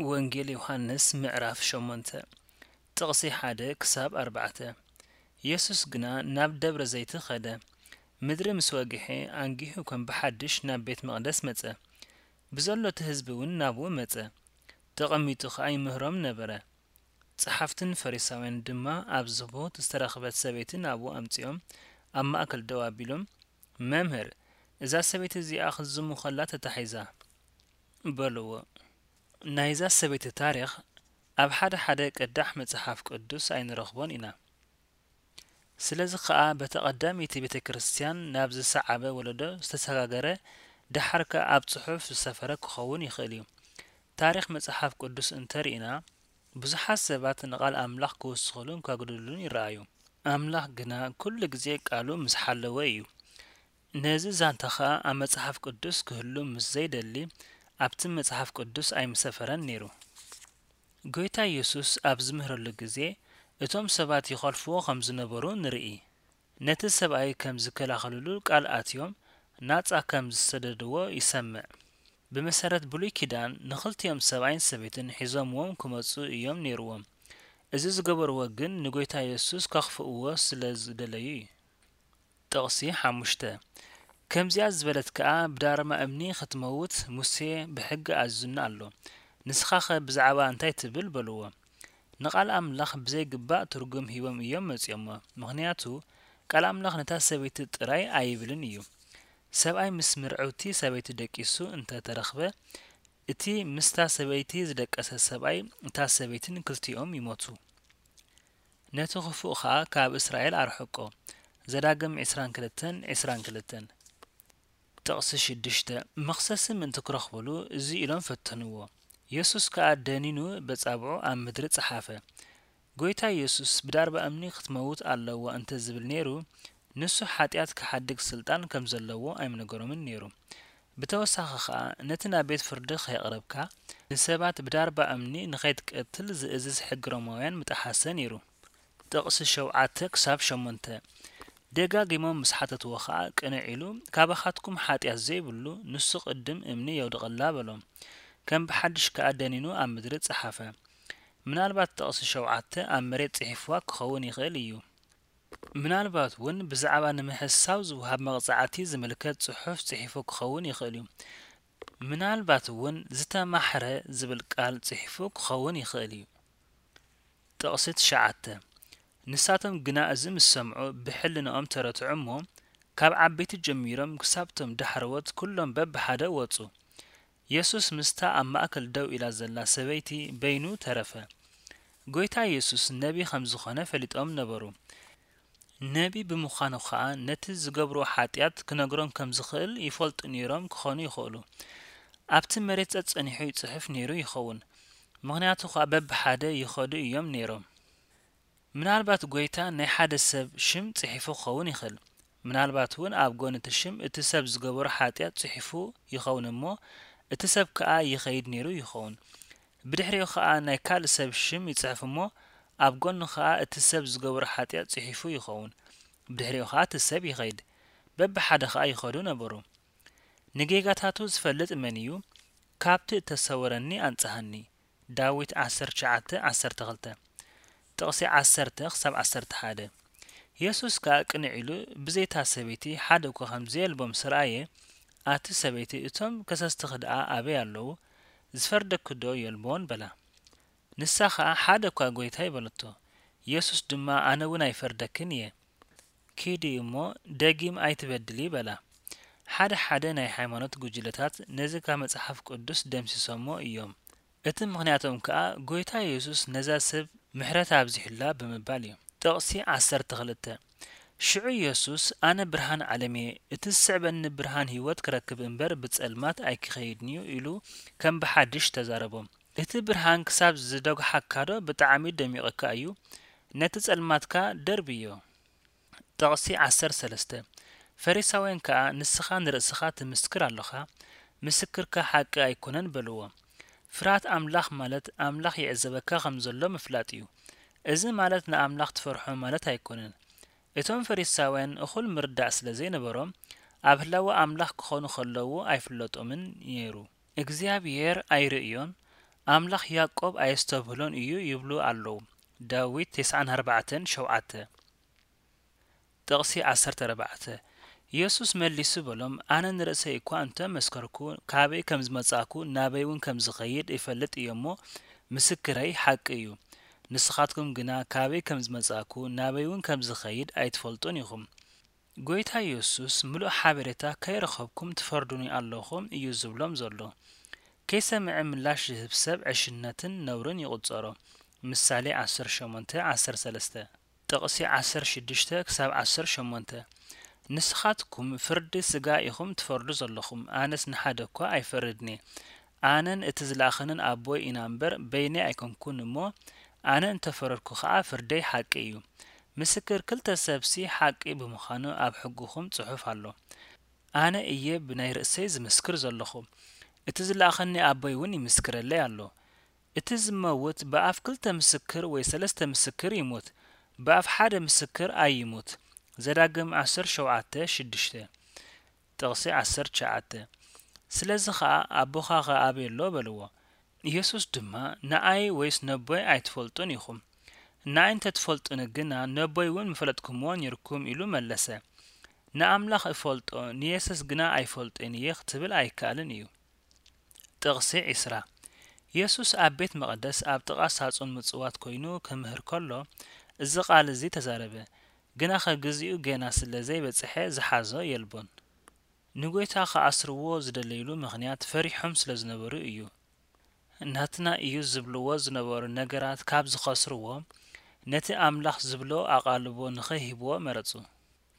ወንጌል ዮሃንስ ምዕራፍ ሸሞንተ፣ ጥቕሲ ሓደ ክሳብ ኣርባዕተ። የሱስ ግና ናብ ደብረ ዘይቲ ኸደ። ምድሪ ምስ ወግሐ፣ ኣንጊሁ ከም ብሓድሽ ናብ ቤት መቕደስ መጸ። ብዘሎ እቲ ህዝቢ እውን ናብኡ መጸ። ተቐሚጡ ኸኣ ይምህሮም ነበረ። ጸሓፍትን ፈሪሳውያን ድማ ኣብ ዝቦት ዝተረኽበት ሰበይቲ ናብኡ ኣምጺኦም፣ ኣብ ማእከል ደው ኣቢሎም፣ "መምህር፣ እዛ ሰበይቲ እዚኣ ክትዝሙ ኸላ ተታሒዛ" በልዎ። ናይዛ ሰበይቲ ታሪኽ ኣብ ሓደ ሓደ ቅዳሕ መጽሓፍ ቅዱስ ኣይንረኽቦን ኢና። ስለዚ ኸኣ በታ ቀዳመይቲ ቤተ ክርስቲያን ናብ ዝሰዓበ ወለዶ ዝተሰጋገረ፣ ደሓር ከኣ ኣብ ጽሑፍ ዝሰፈረ ክኸውን ይኽእል እዩ። ታሪኽ መጽሓፍ ቅዱስ እንተ ርኢና፣ ብዙሓት ሰባት ንቓል ኣምላኽ ክውስኹሉን ከጉድሉን ይረኣዩ። ኣምላኽ ግና ኩሉ ግዜ ቃሉ ምስ ሓለወ እዩ። ነዚ ዛንታ ኸኣ ኣብ መጽሓፍ ቅዱስ ክህሉ ምስ ዘይደሊ፣ ኣብቲ መጽሓፍ ቅዱስ ኣይምሰፈረን ነይሩ። ጐይታ የሱስ ኣብ ዝምህረሉ ግዜ፣ እቶም ሰባት ይኸልፍዎ ኸም ዝነበሩ ንርኢ። ነቲ ሰብኣይ ከም ዝከላኸልሉ ቃል ኣትዮም፣ ናጻ ከም ዝሰደድዎ ይሰምዕ። ብመሰረት ብሉይ ኪዳን፣ ንኽልቲኦም ሰብኣይን ሰበይትን ሒዞምዎም ክመጹ እዮም ነይርዎም። እዚ ዝገበርዎ ግን ንጐይታ የሱስ ከኽፍእዎ ስለ ዝደለዩ እዩ። ጥቕሲ ሓሙሽተ፣ ከምዚኣ ዝበለት ከኣ ብዳርማ እምኒ ኽትመውት ሙሴ ብሕጊ ኣዚዙና ኣሎ። ንስኻኸ ብዛዕባ እንታይ ትብል? በልዎ። ንቓል ኣምላኽ ብዘይግባእ ትርጉም ሂቦም እዮም መጺኦሞ። ምኽንያቱ፣ ቃል ኣምላኽ ነታ ሰበይቲ ጥራይ ኣይብልን እዩ። ሰብኣይ ምስ ምርዕውቲ ሰበይቲ ደቂሱ እንተ ተረኽበ፣ እቲ ምስታ ሰበይቲ ዝደቀሰ ሰብኣይ፣ እታ ሰበይትን ክልቲኦም ይሞቱ። ነቲ ኽፉእ ኸኣ ካብ እስራኤል ኣርሕቆ። ዘዳግም ዕስራን ክልተን፣ ዕስራን ክልተን። ጥቕሲ ሽዱሽተ፣ መኽሰሲ ምእንቲ ክረኽቡሉ እዚ ኢሎም ፈተንዎ። የሱስ ከኣ ደኒኑ በጻብዑ ኣብ ምድሪ ጸሓፈ። ጐይታ የሱስ ብዳርባ እምኒ ክትመውት ኣለዋ እንተ ዝብል ነይሩ፣ ንሱ ሓጢኣት ክሓድግ ስልጣን ከም ዘለዎ ኣይምነገሮምን ነይሩ። ብተወሳኺ ኸኣ፣ ነቲ ናብ ቤት ፍርዲ ከየቕረብካ፣ ንሰባት ብዳርባ እምኒ ንኸይትቀትል ዝእዝዝ ሕጊ ሮማውያን ምጠሓሰ ነይሩ። ጥቕሲ ሸውዓተ ክሳብ ሸሞንተ። ደጋጊሞም ምስ ሓተትዎ ኸኣ፣ ቅንዕ ኢሉ፣ "ካባኻትኩም ሓጢኣት ዘይብሉ፣ ንሱ ቅድም እምኒ የውድቐላ" በሎም። ከም ብሓድሽ ከኣ ደኒኑ ኣብ ምድሪ ጸሓፈ። ምናልባት ጥቕሲ ሸውዓተ ኣብ መሬት ጽሒፍዋ ክኸውን ይኽእል እዩ። ምናልባት እውን ብዛዕባ ንምሕሳው ዝወሃብ መቕጻዕቲ ዝምልከት ጽሑፍ ጽሒፉ ክኸውን ይኽእል እዩ። ምናልባት እውን ዝተማሕረ ዝብል ቃል ጽሒፉ ክኸውን ይኽእል እዩ። ጥቕሲ ትሽዓተ። ንሳቶም ግና እዚ ምስ ሰምዑ ብሕልናኦም ተረትዑ እሞ፣ ካብ ዓበይቲ ጀሚሮም ክሳብቶም ዳሕረዎት ኩሎም በብሓደ ወጹ። የሱስ ምስታ ኣብ ማእከል ደው ኢላ ዘላ ሰበይቲ በይኑ ተረፈ። ጐይታ የሱስ ነቢ ከም ዝኾነ ፈሊጦም ነበሩ። ነቢ ብምዃኑ ኸኣ ነቲ ዝገብርዎ ሓጢኣት ክነግሮም ከም ዝኽእል ይፈልጡ ነይሮም ክኾኑ ይኽእሉ። ኣብቲ መሬት ጸጸኒሑ ይጽሕፍ ነይሩ ይኸውን። ምኽንያቱ ኸኣ በብሓደ ይኸዱ እዮም ነይሮም። ምናልባት ጐይታ ናይ ሓደ ሰብ ሽም ጽሒፉ ክኸውን ይኽእል። ምናልባት እውን ኣብ ጎኒ እቲ ሽም እቲ ሰብ ዝገበሮ ሓጢኣት ጽሒፉ ይኸውን እሞ፣ እቲ ሰብ ከኣ ይኸይድ ነይሩ ይኸውን። ብድሕሪኡ ኸኣ ናይ ካልእ ሰብ ሽም ይጽሕፍ እሞ፣ ኣብ ጎኑ ኸኣ እቲ ሰብ ዝገበሮ ሓጢኣት ጽሒፉ ይኸውን። ብድሕሪኡ ኸኣ እቲ ሰብ ይኸይድ። በብሓደ ኸኣ ይኸዱ ነበሩ። ንጌጋታቱ ዝፈልጥ መን እዩ? "ካብቲ እተሰወረኒ ኣንጽሃኒ" ዳዊት ዓሰርተ ትሽዓተ ዓሰርተ ክልተ። ጥቕሲ ዓሰርተ ክሳብ ዓሰርተ ሓደ። የሱስ ከኣ ቅንዕ ኢሉ፣ ብዘይታ ሰበይቲ ሓደ እኳ ከም ዘየልቦ ምስ ረኣየ፣ "ኣቲ ሰበይቲ፣ እቶም ከሰስትኺ ደኣ ኣበይ ኣለዉ? ዝፈርደኪ ዶ የልቦን?" በላ። ንሳ ኸኣ፣ "ሓደ እኳ ጐይታይ" በለቶ። የሱስ ድማ፣ "ኣነ እውን ኣይፈርደክን እየ። ኪዲ እሞ ደጊም ኣይትበድሊ" በላ። ሓደ ሓደ ናይ ሃይማኖት ጉጅለታት ነዚ ካብ መጽሓፍ ቅዱስ ደምሲሶሞ እዮም። እቲ ምኽንያቶም ከኣ፣ ጐይታ የሱስ ነዛ ሰብ ምሕረት ኣብዚሑላ ብምባል እዩ። ጥቕሲ ዓሰርተ ክልተ። ሽዑ የሱስ፣ "ኣነ ብርሃን ዓለም እየ፣ እቲ ዝስዕበኒ ብርሃን ህይወት ክረክብ እምበር ብጸልማት ኣይክኸይድን እዩ" ኢሉ ከም ብሓድሽ ተዛረቦም። "እቲ ብርሃን ክሳብ ዝደጉሓካዶ ብጣዕሚ ደሚቑካ እዩ? ነቲ ጸልማትካ ደርብዮ።" ጥቕሲ ዓሰርተ ሰለስተ። ፈሪሳውያን ከኣ፣ "ንስኻ ንርእስኻ ትምስክር ኣሎኻ፣ ምስክርካ ሓቂ ኣይኮነን" በልዎ። ፍርሃት ኣምላኽ ማለት ኣምላኽ ይዕዘበካ ከም ዘሎ ምፍላጥ እዩ። እዚ ማለት ንኣምላኽ ትፈርሖ ማለት ኣይኮነን። እቶም ፈሪሳውያን እኹል ምርዳእ ስለ ዘይነበሮም፣ ኣብ ህላወ ኣምላኽ ክኾኑ ከለዉ ኣይፍለጦምን ነይሩ። እግዚኣብሔር ኣይርእዮን፣ ኣምላኽ ያዕቆብ ኣየስተብህሎን እዩ ይብሉ ኣለዉ። ዳዊት ተስዓን ኣርባዕተን ሸውዓተ። ጥቕሲ ዓሰርተ ኣርባዕተ። የሱስ መሊሱ በሎም፣ ኣነ ንርእሰይ እኳ እንተ መስከርኩ፣ ካበይ ከም ዝመጻእኩ፣ ናበይ እውን ከም ዝኸይድ እፈልጥ እየ እሞ፣ ምስክረይ ሓቂ እዩ። ንስኻትኩም ግና ካበይ ከም ዝመጻእኩ፣ ናበይ እውን ከም ዝኸይድ ኣይትፈልጡን ኢኹም። ጐይታ የሱስ፣ ምሉእ ሓበሬታ ከይረኸብኩም ትፈርዱኒ ኣለኹም እዩ ዝብሎም ዘሎ። ከይሰምዐ ምላሽ ዝህብ ሰብ ዕሽነትን ነውርን ይቑጸሮ። ምሳሌ ዓሰርተ ሸሞንተ ዓሰርተ ሰለስተ። ጥቕሲ ዓሰርተ ሽዱሽተ ክሳብ ዓሰርተ ሸሞንተ። ንስኻትኩም ፍርዲ ስጋ ኢኹም ትፈርዱ ዘለኹም፣ ኣነስ ንሓደ እኳ ኣይፈርድን እየ። ኣነን እቲ ዝለኣኸንን ኣቦይ ኢና እምበር፣ በይነይ ኣይኮንኩን እሞ፣ ኣነ እንተ ፈረድኩ ኸኣ ፍርደይ ሓቂ እዩ። ምስክር ክልተ ሰብሲ ሓቂ ብምዃኑ ኣብ ሕግኹም ጽሑፍ ኣሎ። ኣነ እየ ብናይ ርእሰይ ዝምስክር ዘለኹ፣ እቲ ዝለኣኸኒ ኣቦይ እውን ይምስክረለይ ኣሎ። እቲ ዝመውት ብኣፍ ክልተ ምስክር ወይ ሰለስተ ምስክር ይሙት፣ ብኣፍ ሓደ ምስክር ኣይሙት። ዘዳግም ዓሰርተ ሸውዓተ ሽዱሽተ። ጥቕሲ ዓሰርተ ትሽዓተ። ስለዚ ኸኣ ኣቦኻ ኸኣ ኣበይ ኣሎ በልዎ። ኢየሱስ ድማ ንኣይ ወይስ ነቦይ ኣይትፈልጡን ኢኹም። ንኣይ እንተ ትፈልጡኒ ግና ነቦይ እውን ምፈለጥኩምዎ ኔርኩም ኢሉ መለሰ። ንኣምላኽ እፈልጦ ንየሱስ ግና ኣይፈልጦን እየ ክትብል ኣይከኣልን እዩ። ጥቕሲ ዒስራ። የሱስ ኣብ ቤት መቕደስ ኣብ ጥቓ ሳጹን ምጽዋት ኮይኑ ክምህር ከሎ፣ እዚ ቃል እዚ ተዛረበ። ግናኸ ግዜኡ ጌና ስለ ዘይበጽሐ ዝሓዞ የልቦን። ንጎይታ ክኣስርዎ ዝደለይሉ ምኽንያት ፈሪሖም ስለ ዝነበሩ እዩ። ናትና እዩ ዝብልዎ ዝነበሩ ነገራት ካብ ዝኸስርዎ፣ ነቲ ኣምላኽ ዝብሎ ኣቓልቦ ንኸይህብዎ መረጹ።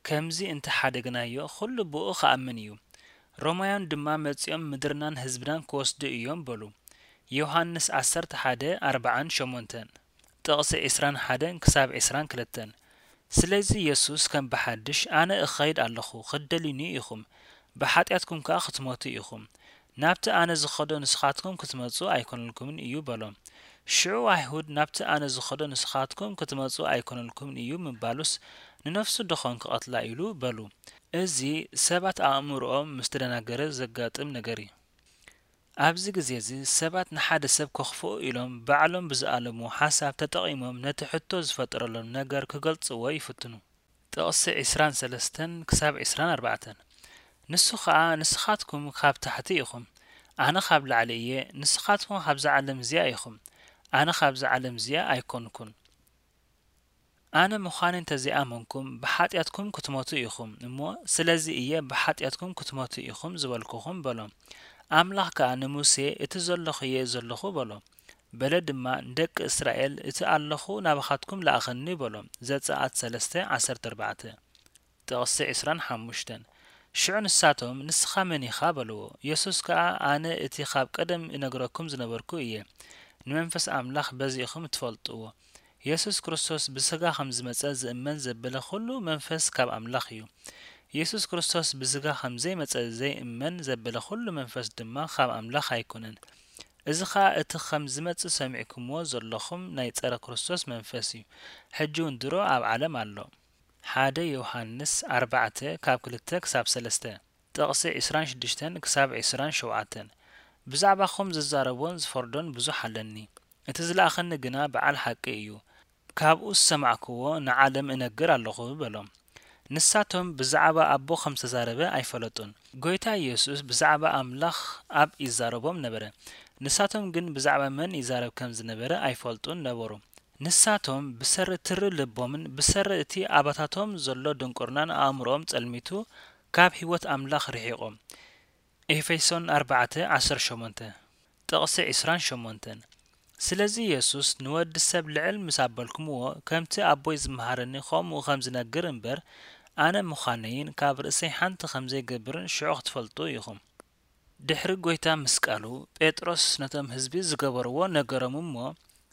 ከምዚ እንተ ሓደግናዮ፣ ኹሉ ብኡ ክኣምን እዩ። ሮማውያን ድማ መጺኦም ምድርናን ህዝብናን ክወስዱ እዮም በሉ። ዮሃንስ ዓሰርተ ሓደ ኣርብዓን ሸሞንተን፣ ጥቕሲ ዒስራን ሓደን ክሳብ ዒስራን ክልተን። ስለዚ የሱስ ከም ብሓድሽ፣ ኣነ እኸይድ ኣለኹ፣ ክትደልዩኒ ኢኹም፣ ብሓጢኣትኩም ከኣ ክትሞቱ ኢኹም። ናብቲ ኣነ ዝኸዶ ንስኻትኩም ክትመጹ ኣይኮነልኩምን እዩ በሎም። ሽዑ ኣይሁድ፣ ናብቲ ኣነ ዝኸዶ ንስኻትኩም ክትመጹ ኣይኮነልኩምን እዩ ምባሉስ፣ ንነፍሱ ደኾን ክቐትላ ኢሉ በሉ። እዚ ሰባት ኣእምሮኦም ምስ ተደናገረ ዘጋጥም ነገር እዩ። ኣብዚ ግዜ እዚ ሰባት ንሓደ ሰብ ከኽፍኡ ኢሎም ባዕሎም ብዝኣለምዎ ሓሳብ ተጠቒሞም ነቲ ሕቶ ዝፈጠረሎም ነገር ክገልጽዎ ይፍትኑ። ጥቕሲ ዒስራን ሰለስተን ክሳብ ዒስራን ኣርባዕተን። ንሱ ኸኣ፣ ንስኻትኩም ካብ ታሕቲ ኢኹም፣ ኣነ ካብ ላዕሊ እየ፣ ንስኻትኩም ካብዛ ዓለም እዚኣ ኢኹም፣ ኣነ ካብዛ ዓለም እዚኣ ኣይኮንኩን። ኣነ ምዃነይ እንተ ዘይኣመንኩም፣ ብሓጢኣትኩም ክትሞቱ ኢኹም እሞ፣ ስለዚ እየ ብሓጢኣትኩም ክትሞቱ ኢኹም ዝበልኩኹም በሎም። ኣምላኽ ከኣ ንሙሴ፣ እቲ ዘለኹ እየ ዘለኹ በሎ። በለ ድማ፣ ንደቂ እስራኤል፣ እቲ ኣለኹ ናባኻትኩም ለኣኸኒ በሎ። ዘጸኣት ሰለስተ ዓሰርተ ኣርባዕተ። ጥቕሲ ዒስራን ሓሙሽተን። ሽዑ ንሳቶም፣ ንስኻ መን ኢኻ በልዎ። የሱስ ከኣ፣ ኣነ እቲ ካብ ቀደም እነግረኩም ዝነበርኩ እየ። ንመንፈስ ኣምላኽ በዚ ኢኹም እትፈልጥዎ። የሱስ ክርስቶስ ብስጋ ከም ዝመጸ ዝእመን ዘበለ ኹሉ መንፈስ ካብ ኣምላኽ እዩ። የሱስ ክርስቶስ ብስጋ ከም ዘይመጸ ዘይእመን ዘበለ ኹሉ መንፈስ ድማ ካብ ኣምላኽ ኣይኮነን። እዚ ኸኣ እቲ ከም ዝመጽእ ሰሚዕኩምዎ ዘለኹም ናይ ጸረ ክርስቶስ መንፈስ እዩ። ሕጂ እውን ድሮ ኣብ ዓለም ኣሎ። ሓደ ዮሃንስ ኣርባዕተ ካብ ክልተ ክሳብ ሰለስተ። ጥቕሲ ዒስራን ሽዱሽተን ክሳብ ዒስራን ሸውዓተን። ብዛዕባኹም ዝዛረቦን ዝፈርዶን ብዙሕ ኣለኒ። እቲ ዝለኣኸኒ ግና በዓል ሓቂ እዩ። ካብኡ ዝሰማዕኩዎ ንዓለም እነግር ኣለኹ በሎም። ንሳቶም ብዛዕባ ኣቦ ከም ዝተዛረበ ኣይፈለጡን። ጐይታ ኢየሱስ ብዛዕባ ኣምላኽ ኣብ ይዛረቦም ነበረ። ንሳቶም ግን ብዛዕባ መን ይዛረብ ከም ዝነበረ ኣይፈልጡን ነበሩ። ንሳቶም ብሰሪ ትሪ ልቦምን ብሰሪ እቲ ኣባታቶም ዘሎ ድንቁርናን ኣእምሮኦም ጸልሚቱ ካብ ህይወት ኣምላኽ ርሒቖም። ኤፌሶን ኣርባዕተ ዓሰርተ ሸሞንተ፣ ጥቕሲ ዒስራን ሸሞንተን። ስለዚ የሱስ ንወዲ ሰብ ልዕል ምስ ኣበልኩምዎ፣ ከምቲ ኣቦይ ዝመሃረኒ ኸምኡ ኸም ዝነግር እምበር፣ ኣነ ምዃነይን ካብ ርእሰይ ሓንቲ ኸም ዘይገብርን ሽዑ ክትፈልጡ ኢኹም። ድሕሪ ጐይታ ምስቃሉ፣ ጴጥሮስ ነቶም ህዝቢ ዝገበርዎ ነገሮም እሞ፣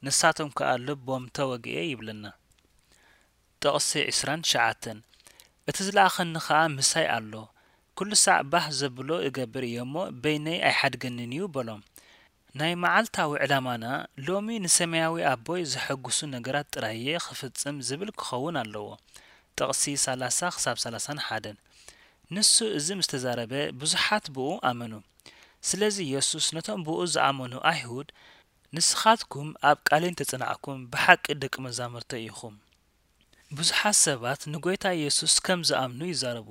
ንሳቶም ከኣ ልቦም ተወግኤ ይብለና። ጥቕሲ ዒስራን ትሽዓተን። እቲ ዝለኣኸኒ ኸኣ ምሳይ ኣሎ። ኩሉ ሳዕ ባህ ዘብሎ እገብር እየ እሞ፣ በይነይ ኣይሓድገንን እዩ በሎም። ናይ መዓልታዊ ዕላማና ሎሚ ንሰማያዊ ኣቦይ ዘሐጉሱ ነገራት ጥራይ እየ ክፍጽም ዝብል ክኸውን ኣለዎ። ጥቕሲ ሰላሳ ክሳብ ሰላሳን ሓደን። ንሱ እዚ ምስ ተዛረበ፣ ብዙሓት ብኡ ኣመኑ። ስለዚ የሱስ ነቶም ብኡ ዝኣመኑ ኣይሁድ፣ ንስኻትኩም ኣብ ቃለይ እንተጸናዕኩም ብሓቂ ደቂ መዛሙርተይ ኢኹም። ብዙሓት ሰባት ንጎይታ የሱስ ከም ዝኣምኑ ይዛረቡ።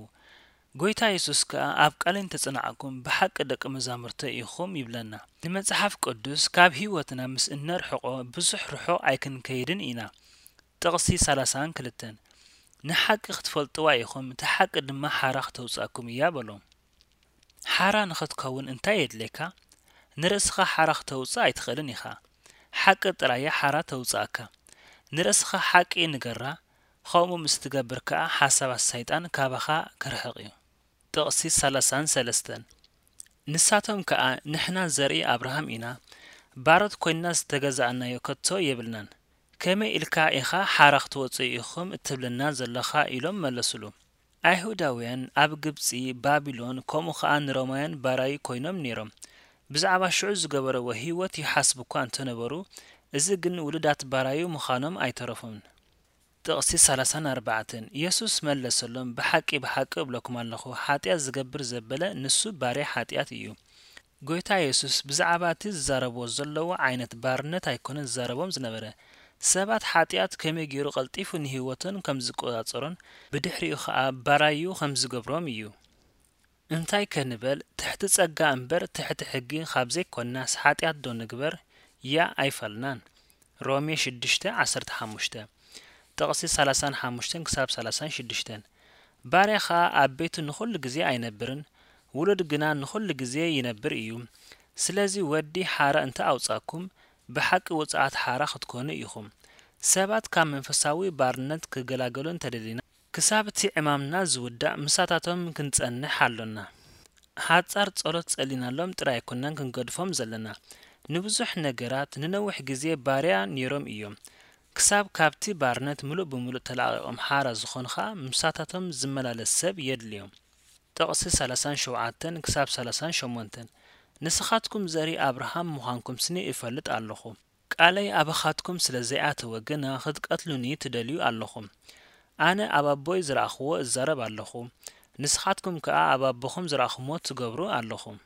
ጎይታ የሱስ ከኣ ኣብ ቃለይ እንተጸናዕኩም ብሓቂ ደቂ መዛሙርተይ ኢኹም ይብለና። ንመጽሓፍ ቅዱስ ካብ ህይወትና ምስ እነርሕቖ ብዙሕ ርሑቕ ኣይክንከይድን ኢና። ጥቕሲ ሰላሳን ክልተን፣ ንሓቂ ክትፈልጥዋ ኢኹም፣ እቲ ሓቂ ድማ ሓራ ክተውጻኩም እያ በሎም። ሓራ ንኽትከውን እንታይ የድልየካ? ንርእስኻ ሓራ ክተውጽእ ኣይትኽእልን ኢኻ። ሓቂ ጥራያ ሓራ ተውጽኣካ። ንርእስኻ ሓቂ ንገራ፣ ኸምኡ ምስ ትገብር ከኣ ሓሳባት ሰይጣን ካባኻ ክርሕቕ እዩ። ጥቕሲ ሰላሳን ሰለስተን፣ ንሳቶም ከኣ ንሕና ዘርኢ ኣብርሃም ኢና፣ ባሮት ኮይንና ዝተገዛእናዮ ከቶ የብልናን። ከመይ ኢልካ ኢኻ ሓራ ክትወጽኡ ኢኹም እትብለና ዘለኻ? ኢሎም መለሱሉ። ኣይሁዳውያን ኣብ ግብጺ፣ ባቢሎን፣ ከምኡ ኸኣ ንሮማውያን ባራዩ ኮይኖም ነይሮም። ብዛዕባ ሽዑ ዝገበርዎ ህይወት ይሓስቡ እኳ እንተነበሩ፣ እዚ ግን ውሉዳት ባራዩ ምዃኖም ኣይተረፎምን። ጥቕሲ ሰላሳን ኣርባዕተን፣ የሱስ መለሰሎም፣ ብሓቂ ብሓቂ እብለኩም ኣለኹ፣ ሓጢኣት ዝገብር ዘበለ ንሱ ባርያ ሓጢኣት እዩ። ጎይታ የሱስ ብዛዕባ እቲ ዝዛረብዎ ዘለዎ ዓይነት ባርነት ኣይኮነን ዝዛረቦም ዝነበረ። ሰባት ሓጢኣት ከመይ ገይሩ ቀልጢፉ ንህይወቶም ከም ዝቆጻጸሮን ብድሕሪኡ ኸኣ ባራዩ ከም ዝገብሮም እዩ። እንታይ ከ ንበል? ትሕቲ ጸጋ እምበር ትሕቲ ሕጊ ካብ ዘይኮንናስ ሓጢኣት ዶ ንግበር? ያ ኣይፋልናን። ሮሜ ሽዱሽተ ዓሰርተ ሓሙሽተ፣ ጥቕሲ ሰላሳን ሓሙሽተን ክሳብ ሰላሳን ሽዱሽተን። ባርያ ኸኣ ኣብ ቤቱ ንኹሉ ግዜ ኣይነብርን፣ ውሉድ ግና ንኹሉ ግዜ ይነብር እዩ። ስለዚ ወዲ ሓራ እንተ ኣውጻኩም፣ ብሓቂ ውጽዓት ሓራ ክትኮኑ ኢኹም። ሰባት ካብ መንፈሳዊ ባርነት ክገላገሉ እንተደሊና፣ ክሳብ እቲ ዕማምና ዝውዳእ ምሳታቶም ክንጸንሕ ኣሎና። ሓጻር ጸሎት ጸሊናሎም ጥራይ ኣይኮናን ክንገድፎም ዘለና። ንብዙሕ ነገራት ንነዊሕ ግዜ ባርያ ነይሮም እዮም። ክሳብ ካብቲ ባርነት ምሉእ ብምሉእ ተላቒቖም ሓራ ዝኾኑ ኸኣ ምሳታቶም ዝመላለስ ሰብ የድልዮም። ጥቕሲ ሰላሳን ሸውዓተን ክሳብ ሰላሳን ሸሞንተን፣ ንስኻትኩም ዘርኢ ኣብርሃም ምዃንኩም ስኒ እፈልጥ ኣለኹ። ቃለይ ኣባኻትኩም ስለ ዘይኣተወ ግና ክትቀትሉኒ ትደልዩ ኣለኹም። ኣነ ኣብ ኣቦይ ዝረኣኽዎ እዛረብ ኣለኹ፣ ንስኻትኩም ከኣ ኣብ ኣቦኹም ዝረኣኹምዎ ትገብሩ ኣለኹም።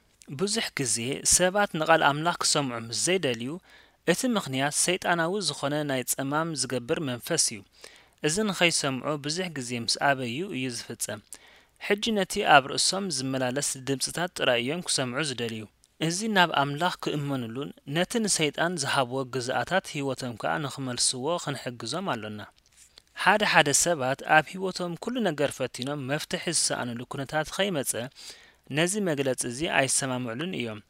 ብዙሕ ግዜ ሰባት ንቓል ኣምላኽ ክሰምዑ ምስ ዘይደልዩ፣ እቲ ምኽንያት ሰይጣናዊ ዝኾነ ናይ ጸማም ዝገብር መንፈስ እዩ። እዚ ንኸይሰምዑ ብዙሕ ግዜ ምስ ኣበዩ እዩ ዝፍጸም። ሕጂ ነቲ ኣብ ርእሶም ዝመላለስ ድምጽታት ጥራይ እዮም ክሰምዑ ዝደልዩ። እዚ ናብ ኣምላኽ ክእመኑሉን ነቲ ንሰይጣን ዝሃብዎ ግዝኣታት ህይወቶም ከኣ ንኽመልስዎ ክንሕግዞም ኣሎና። ሓደ ሓደ ሰባት ኣብ ህይወቶም ኩሉ ነገር ፈቲኖም መፍትሒ ዝሰኣኑሉ ኩነታት ኸይመጸ፣ ነዚ መግለጺ እዚ ኣይሰማምዕሉን እዮም።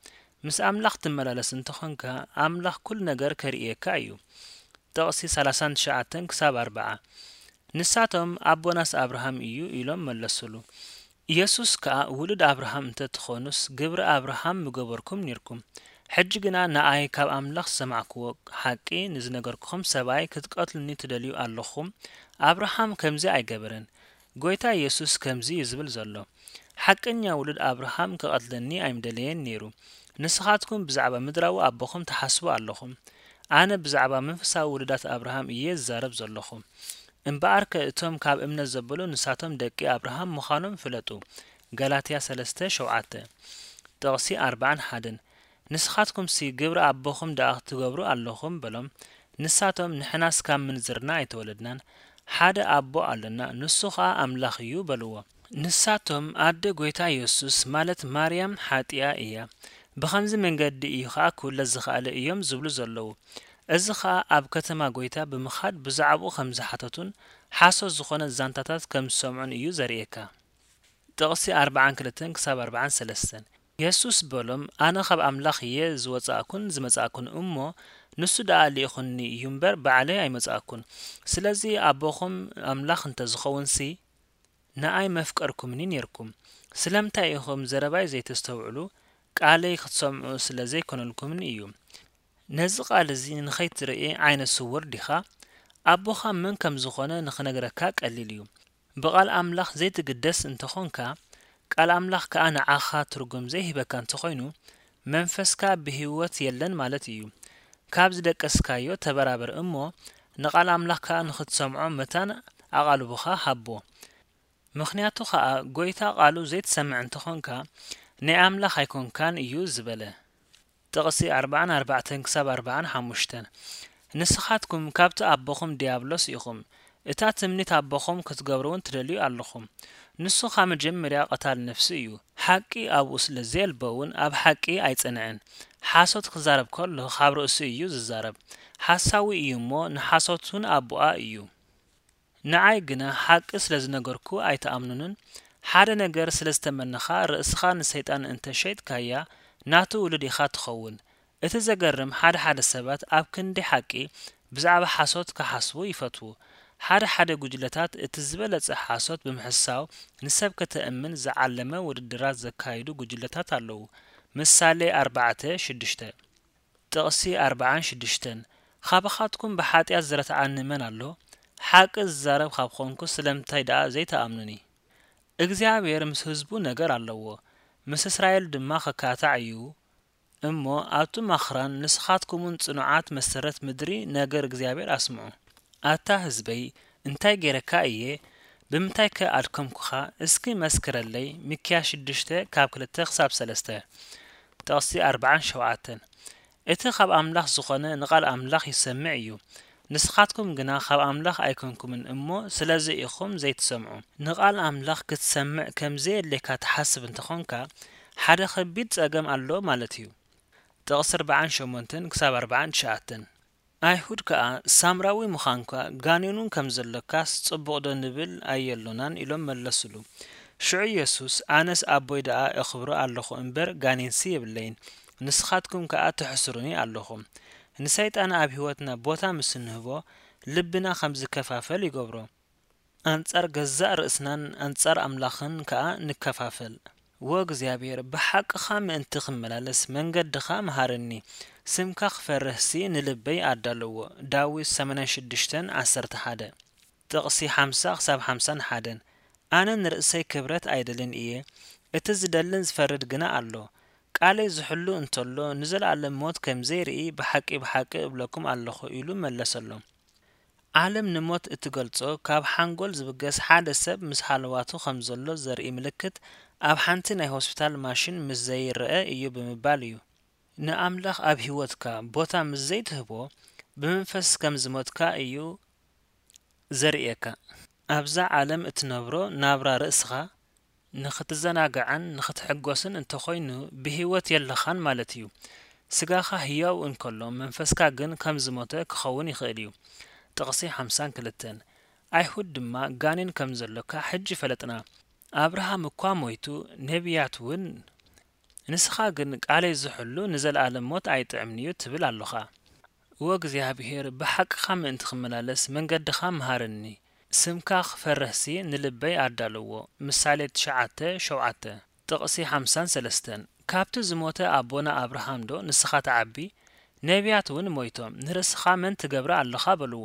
ምስ ኣምላኽ ትመላለስ እንተኾንካ፣ ኣምላኽ ኩሉ ነገር ከርእየካ እዩ። ጥቕሲ ሰላሳን ትሽዓተን ክሳብ ኣርብዓ። ንሳቶም፣ ኣቦናስ ኣብርሃም እዩ፣ ኢሎም መለሱሉ። ኢየሱስ ከኣ፣ ውሉድ ኣብርሃም እንተ ትኾኑስ፣ ግብሪ ኣብርሃም ምገበርኩም ኔርኩም። ሕጂ ግና ንኣይ ካብ ኣምላኽ ዝሰማዕክዎ ሓቂ ንዝነገርኩኹም ሰብኣይ ክትቀትሉኒ ትደልዩ ኣለኹም። ኣብርሃም ከምዚ ኣይገበረን። ጐይታ ኢየሱስ ከምዚ እዩ ዝብል ዘሎ፣ ሓቀኛ ውሉድ ኣብርሃም ክቐትለኒ ኣይምደለየን ነይሩ። ንስኻትኩም ብዛዕባ ምድራዊ ኣቦኹም ትሓስቡ ኣለኹም። ኣነ ብዛዕባ መንፈሳዊ ውሉዳት ኣብርሃም እየ ዝዛረብ ዘለኹ። እምበኣርከ እቶም ካብ እምነት ዘበሉ ንሳቶም ደቂ ኣብርሃም ምዃኖም ፍለጡ። ገላትያ ሰለስተ ሸውዓተ። ጥቕሲ ኣርባዓን ሓደን። ንስኻትኩምሲ ግብሪ ኣቦኹም ደኣ ትገብሩ ኣለኹም በሎም። ንሳቶም ንሕናስ ካብ ምንዝርና ኣይተወለድናን፣ ሓደ ኣቦ ኣሎና፣ ንሱ ኸኣ ኣምላኽ እዩ በልዎ። ንሳቶም ኣደ ጐይታ የሱስ ማለት ማርያም ሓጢኣ እያ፣ ብኸምዚ መንገዲ እዩ ኸኣ ክውለድ ዝኸኣለ እዮም ዝብሉ ዘለዉ። እዚ ኸኣ ኣብ ከተማ ጐይታ ብምኻድ ብዛዕባኡ ከም ዝሓተቱን ሓሶት ዝኾነ ዛንታታት ከም ዝሰምዑን እዩ ዘርእየካ። ጥቕሲ ኣርባዓን ክልተን ክሳብ ኣርባዓን ሰለስተን። የሱስ በሎም፣ ኣነ ኻብ ኣምላኽ እየ ዝወጻእኩን ዝመጻእኩን እሞ፣ ንሱ ደኣ ልኢኹኒ እዩ እምበር፣ ባዕለይ ኣይመጻእኩን። ስለዚ ኣቦኹም ኣምላኽ እንተ ዝኸውንሲ፣ ንኣይ መፍቀርኩምኒ ኔርኩም። ስለምንታይ ኢኹም ዘረባይ ዘይተስተውዕሉ? ቃለይ ክትሰምዑ ስለ ዘይኮነልኩምን እዩ። ነዚ ቃል እዚ ንኸይትርኢ ዓይነ ስውር ዲኻ? ኣቦኻ መን ከም ዝኾነ ንኽነግረካ ቀሊል እዩ። ብቓል ኣምላኽ ዘይትግደስ እንተኾንካ፣ ቃል ኣምላኽ ከኣ ንዓኻ ትርጉም ዘይህበካ እንተኾይኑ፣ መንፈስካ ብህይወት የለን ማለት እዩ። ካብ ዝደቀስካዮ ተበራበር እሞ፣ ንቓል ኣምላኽ ከኣ ንኽትሰምዖ መታን ኣቓልቦኻ ሃቦ። ምኽንያቱ ኸኣ፣ ጐይታ ቃሉ ዘይትሰምዕ እንተኾንካ፣ ናይ ኣምላኽ ኣይኮንካን እዩ ዝበለ። ጥቕሲ ኣርባዓን ኣርባዕተን ክሳብ ኣርባዓን ሓሙሽተን። ንስኻትኩም ካብቲ ኣቦኹም ዲያብሎስ ኢኹም፣ እታ ትምኒት ኣቦኹም ክትገብሩ እውን ትደልዩ ኣለኹም። ንሱ ካብ መጀመርያ ቀታል ነፍሲ እዩ። ሓቂ ኣብኡ ስለ ዘየልቦ እውን ኣብ ሓቂ ኣይጸንዐን። ሓሶት ክዛረብ ከሎ ካብ ርእሱ እዩ ዝዛረብ። ሓሳዊ እዩ እሞ ንሓሶት እውን ኣቦኣ እዩ። ንዓይ ግና ሓቂ ስለ ዝነገርኩ ኣይትኣምኑንን። ሓደ ነገር ስለ ዝተመነኻ ርእስኻ ንሰይጣን እንተ ሸይጥካያ ናቱ ውሉድ ኢኻ ትኸውን። እቲ ዘገርም ሓደ ሓደ ሰባት ኣብ ክንዲ ሓቂ ብዛዕባ ሓሶት ክሓስቡ ይፈትዉ። ሓደ ሓደ ጉጅለታት እቲ ዝበለጸ ሓሶት ብምሕሳው ንሰብ ከተእምን ዝዓለመ ውድድራት ዘካይዱ ጉጅለታት ኣለዉ። ምሳሌ ኣርባዕተ ሽዱሽተ። ጥቕሲ ኣርባዓን ሽዱሽተን። ካባኻትኩም ብሓጢኣት ዝረትዓኒ መን ኣሎ? ሓቂ ዝዛረብ ካብ ኾንኩ ስለምንታይ ደኣ ዘይትኣምኑኒ? እግዚኣብሔር ምስ ህዝቡ ነገር ኣለዎ፣ ምስ እስራኤል ድማ ክካታዕ እዩ። እሞ ኣብቲ ማኽራን ንስኻትኩምን ጽኑዓት መሰረት ምድሪ ነገር እግዚኣብሔር ኣስምዑ። ኣታ ህዝበይ፣ እንታይ ገይረካ እየ? ብምንታይከ ኣድከምኩኻ? እስኪ መስክረለይ። ሚክያስ ሽዱሽተ ካብ ክልተ ክሳብ ሰለስተ። ጥቕሲ ኣርባዓን ሸውዓተን። እቲ ካብ ኣምላኽ ዝኾነ ንቓል ኣምላኽ ይሰምዕ እዩ። ንስኻትኩም ግና ካብ ኣምላኽ ኣይኮንኩምን እሞ ስለዚ ኢኹም ዘይትሰምዑ። ንቓል ኣምላኽ ክትሰምዕ ከም ዘየድልየካ ትሓስብ እንተኾንካ፣ ሓደ ከቢድ ጸገም ኣሎ ማለት እዩ። ጥቕሲ ኣርባዓን ሸሞንተን ክሳብ ኣርባዓን ትሽዓተን። ኣይሁድ ከኣ፣ ሳምራዊ ምዃንካ ጋኔኑን ከም ዘሎካስ ጽቡቕ ዶ ንብል ኣየሎናን? ኢሎም መለሱሉ። ሽዑ ኢየሱስ፣ ኣነስ ኣቦይ ደኣ እኽብሮ ኣለኹ እምበር ጋኔንሲ የብለይን፣ ንስኻትኩም ከኣ ትሕስሩኒ ኣለኹም። ንሰይጣን ኣብ ህይወትና ቦታ ምስ እንህቦ፣ ልብና ከም ዝከፋፈል ይገብሮ። ኣንጻር ገዛእ ርእስናን ኣንጻር ኣምላኽን ከኣ ንከፋፈል። ወእግዚኣብሔር፣ ብሓቅኻ ምእንቲ ክመላለስ መንገድኻ ምሃረኒ፣ ስምካ ክፈርህሲ ንልበይ ኣዳልዎ። ዳዊት ሰማንያን ሽዱሽተን ዓሰርተ ሓደ። ጥቕሲ ሓምሳ ክሳብ ሓምሳን ሓደን። ኣነ ንርእሰይ ክብረት ኣይደልን እየ፣ እቲ ዝደልን ዝፈርድ ግና ኣሎ። ቃለይ ዝሕሉ እንተሎ፣ ንዘለኣለም ሞት ከም ዘይርኢ ብሓቂ ብሓቂ እብለኩም ኣለኹ፣ ኢሉ መለሰሎም። ዓለም ንሞት እትገልጾ፣ ካብ ሓንጎል ዝብገስ ሓደ ሰብ ምስ ሃለዋቱ ከም ዘሎ ዘርኢ ምልክት ኣብ ሓንቲ ናይ ሆስፒታል ማሽን ምስ ዘይረኣ እዩ ብምባል እዩ። ንኣምላኽ ኣብ ህይወትካ ቦታ ምስ ዘይትህቦ፣ ብመንፈስ ከም ዝሞትካ እዩ ዘርእየካ። ኣብዛ ዓለም እትነብሮ ናብራ ርእስኻ ንኽትዘናጋዕን ንኽትሕጎስን እንተኾይኑ፣ ብህይወት የለኻን ማለት እዩ። ስጋኻ ህያው እንከሎ፣ መንፈስካ ግን ከም ዝሞተ ክኸውን ይኽእል እዩ። ጥቕሲ ሓምሳን ክልተን። ኣይሁድ ድማ ጋኔን ከም ዘሎካ ሕጂ ፈለጥና። ኣብርሃም እኳ ሞይቱ፣ ነቢያት እውን። ንስኻ ግን ቃለይ ዝሕሉ ንዘለኣለም ሞት ኣይጥዕምን'ዩ ትብል ኣሎኻ። እወ እግዚኣብሄር፣ ብሓቅኻ ምእንቲ ክመላለስ መንገድኻ ምሃረኒ። ስምካ ክፈርህሲ ንልበይ ኣዳልዎ። ምሳሌ ትሽዓተ ሸውዓተ። ጥቕሲ ሓምሳን ሰለስተን። ካብቲ ዝሞተ ኣቦና ኣብርሃም ዶ ንስኻ ትዓቢ? ነቢያት እውን ሞይቶም፣ ንርእስኻ መን ትገብረ ኣለኻ በልዎ።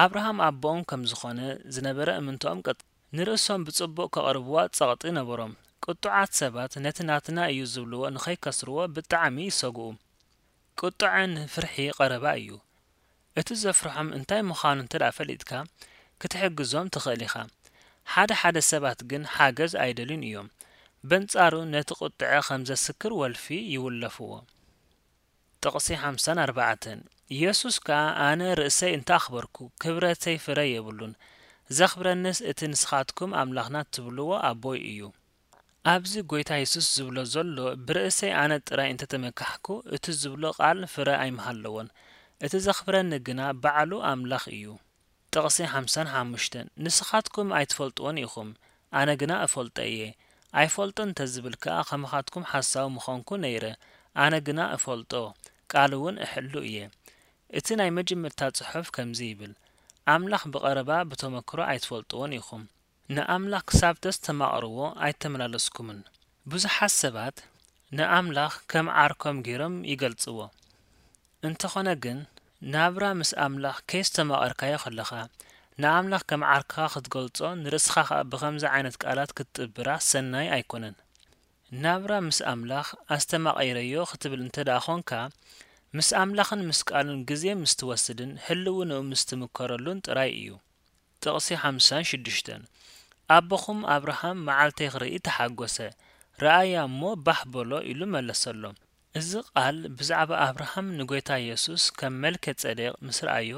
ኣብርሃም ኣቦኦም ከም ዝኾነ ዝነበረ እምንቶኦም ቀጥ-፣ ንርእሶም ብጽቡቕ ከቕርብዋ ጸቕጢ ነበሮም። ቁጡዓት ሰባት ነቲ ናትና እዩ ዝብልዎ ንኸይከስርዎ ብጣዕሚ ይሰግኡ። ቁጥዐ ንፍርሒ ቀረባ እዩ። እቲ ዘፍርሖም እንታይ ምዃኑ እንተ ደኣ ፈሊጥካ፣ ክትሕግዞም ትኽእል ኢኻ። ሓደ ሓደ ሰባት ግን ሓገዝ ኣይደልዩን እዮም። በንጻሩ ነቲ ቁጥዐ ከም ዘስክር ወልፊ ይውለፍዎ። ጥቕሲ ሓምሳን ኣርባዕተን። ኢየሱስ ከኣ፣ ኣነ ርእሰይ እንተ ኣኽበርኩ፣ ክብረተይ ፍረ የብሉን። ዘኽብረንስ እቲ ንስኻትኩም ኣምላኽና ትብልዎ ኣቦይ እዩ። ኣብዚ ጐይታ የሱስ ዝብሎ ዘሎ፣ ብርእሰይ ኣነ ጥራይ እንተ ተመካሕኩ፣ እቲ ዝብሎ ቃል ፍረ ኣይምሃለዎን። እቲ ዘኽብረኒ ግና ባዕሉ ኣምላኽ እዩ። ጥቕሲ ሓምሳን ሓሙሽተን። ንስኻትኩም ኣይትፈልጥዎን ኢኹም፣ ኣነ ግና እፈልጦ እየ። ኣይፈልጦን እንተ ዝብል ከኣ፣ ከማኻትኩም ሓሳዊ ምኾንኩ ነይረ፣ ኣነ ግና እፈልጦ፣ ቃሉ እውን እሕሉ እየ። እቲ ናይ መጀመርታ ጽሑፍ ከምዚ ይብል፣ ኣምላኽ ብቐረባ ብተመክሮ ኣይትፈልጥዎን ኢኹም። ንኣምላኽ ክሳብ ተስተማቕርዎ ኣይተመላለስኩምን። ብዙሓት ሰባት ንኣምላኽ ከም ዓርኮም ገይሮም ይገልጽዎ። እንተኾነ ግን፣ ናብራ ምስ ኣምላኽ ከየስተማቐርካዮ ከለኻ፣ ንኣምላኽ ከም ዓርክኻ ክትገልጾ፣ ንርእስኻ ኸኣ ብኸምዚ ዓይነት ቃላት ክትጥብራ ሰናይ ኣይኮነን። ናብራ ምስ ኣምላኽ ኣስተማቒረዮ ክትብል እንተ ደኣ ኾንካ፣ ምስ ኣምላኽን ምስ ቃሉን ግዜ ምስ ትወስድን ህልውንኡ ምስ ትምከረሉን ጥራይ እዩ። ጥቕሲ ሓምሳን ሽዱሽተን። ኣቦኹም ኣብርሃም መዓልተይ ክርኢ ተሓጎሰ፣ ረኣያ እሞ ባህ በሎ ኢሉ መለሰሎም። እዚ ቃል ብዛዕባ ኣብርሃም ንጎይታ የሱስ ከም መልከ ጸዴቕ ምስ ረኣዮ፣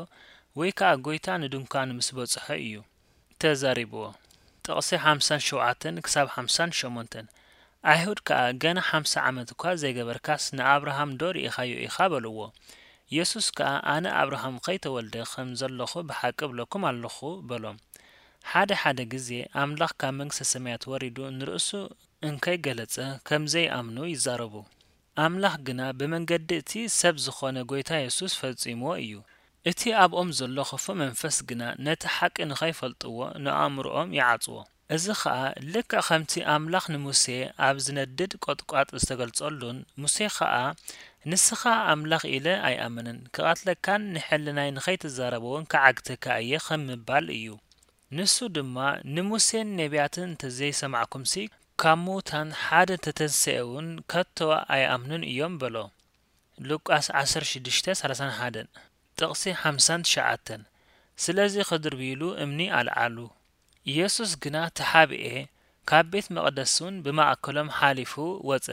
ወይ ከኣ ጎይታ ንድንኳን ምስ በጽሖ እዩ ተዛሪብዎ። ጥቕሲ ሓምሳን ሸውዓተን ክሳብ ሓምሳን ሸሞንተን። ኣይሁድ ከኣ፣ "ገና ሓምሳ ዓመት እኳ ዘይገበርካስ ንኣብርሃም ዶ ርኢኻዮ ኢኻ?" በልዎ። የሱስ ከኣ፣ "ኣነ ኣብርሃም ኸይተወልደ ኸም ዘለኹ ብሓቂ እብለኩም ኣለኹ" በሎም። ሓደ ሓደ ግዜ ኣምላኽ ካብ መንግስተ ሰማያት ወሪዱ ንርእሱ እንከይገለጸ ከም ዘይኣምኑ ይዛረቡ። ኣምላኽ ግና ብመንገዲ እቲ ሰብ ዝኾነ ጎይታ የሱስ ፈጺምዎ እዩ። እቲ ኣብኦም ዘሎ ክፉእ መንፈስ ግና ነቲ ሓቂ ንኸይፈልጥዎ ንኣእምሮኦም ይዓጽዎ። እዚ ኸኣ ልክዕ ከምቲ ኣምላኽ ንሙሴ ኣብ ዝነድድ ቈጥቋጥ ዝተገልጸሉን፣ ሙሴ ኸኣ "ንስኻ ኣምላኽ ኢለ ኣይኣምንን፣ ክቐትለካን ንሕልናይ ንኸይትዛረቦ እውን ክዓግተካ እየ" ከም ምባል እዩ። ንሱ ድማ "ንሙሴን ነቢያትን እንተዘይሰማዕኩምሲ፣ ካብ ምዉታን ሓደ እንተተንስኤ እውን ከቶ ኣይኣምኑን እዮም" በሎ። ሉቃስ ዓሰርተ ሽዱሽተ ሰላሳን ሓደን። ጥቕሲ ሓምሳን ትሽዓተን። ስለዚ ክድርብይሉ እምኒ ኣልዓሉ። የሱስ ግና ተሓብኤ፣ ካብ ቤት መቕደስ እውን ብማእከሎም ሓሊፉ ወጸ።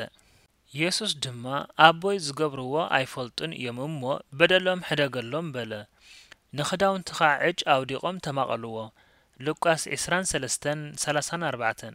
የሱስ ድማ "ኣቦይ ዝገብርዎ ኣይፈልጡን እዮም እሞ በደሎም ሕደገሎም" በለ። ንኽዳውንቱ ኸኣ ዕጭ ኣውዲቖም ተማቐልዎ። ሉቃስ ዕስራን ሰለስተን ሰላሳን ኣርባዕተን።